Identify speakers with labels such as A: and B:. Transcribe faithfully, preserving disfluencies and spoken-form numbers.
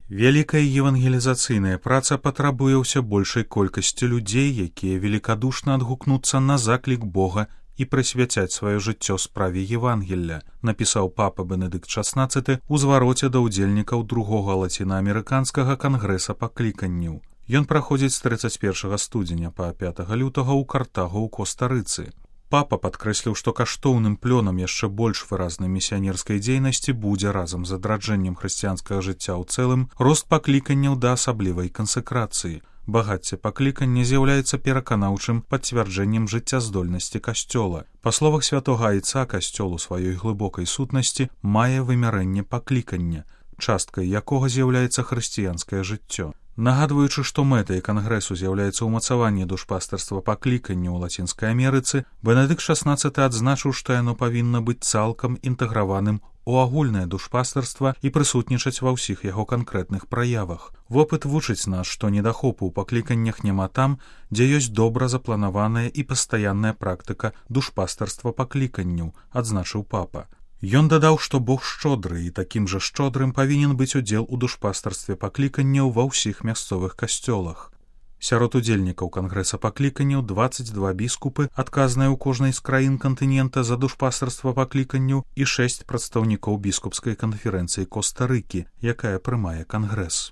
A: Вялікая евангелізацыйная праца патрабуе ўсё большай колькасці людзей, якія велікадушна адгукнуцца на заклік Бога і прысвяцяць сваё жыццё справе Евангелля, напісаў папа Бенедыкт шаснаццаты ў звароце да ўдзельнікаў другога лацінаамерыканскага кангрэса пакліканняў. Ён праходзіць з трыццаць першага студзеня па пятага лютага ў Картагу ў Коста-Рыцы. Папа падкрэсліў, што каштоўным плёнам яшчэ больш выразнай місіянерскай дзейнасці будзе разам з адраджэннем хрысціянскага жыцця ў цэлым рост пакліканняў да асаблівай кансэкрацыі. Багацце паклікання з'яўляецца пераканаўчым пацвярджэннем жыццяздольнасці касцёла. Па словах святога айца, касцёл у сваёй глыбокай сутнасці мае вымярэнне паклікання, часткай якога з'яўляецца хрысціянскае жыццё. Нагадваючы, што мэтай кангрэсу з'яўляецца ўмацаванне душпастарства паклікання ў Лацінскай Амерыцы, Бенедыкт шаснаццаты адзначыў, што яно павінна быць цалкам інтэграваным у агульнае душпастарства і прысутнічаць ва ўсіх яго канкрэтных праявах. Вопыт вучыць нас, што недахопу ў пакліканнях няма там, дзе ёсць добра запланаваная і пастаянная практыка душпастарства пакліканняў, адзначыў папа. Ён дадаў, што Бог шчодры і такім жа шчодрым павінен быць удзел у душпастарстве пакліканняў ва ўсіх мясцовых касцёлах. Сярод удзельнікаў кангрэса пакліканняў дваццаць два біскупы, адказныя ў кожнай з краін кантынента за душпастарства пакліканняў, і шэсць прадстаўнікоў біскупскай канферэнцыі Коста-Рыкі, якая прымае кангрэс.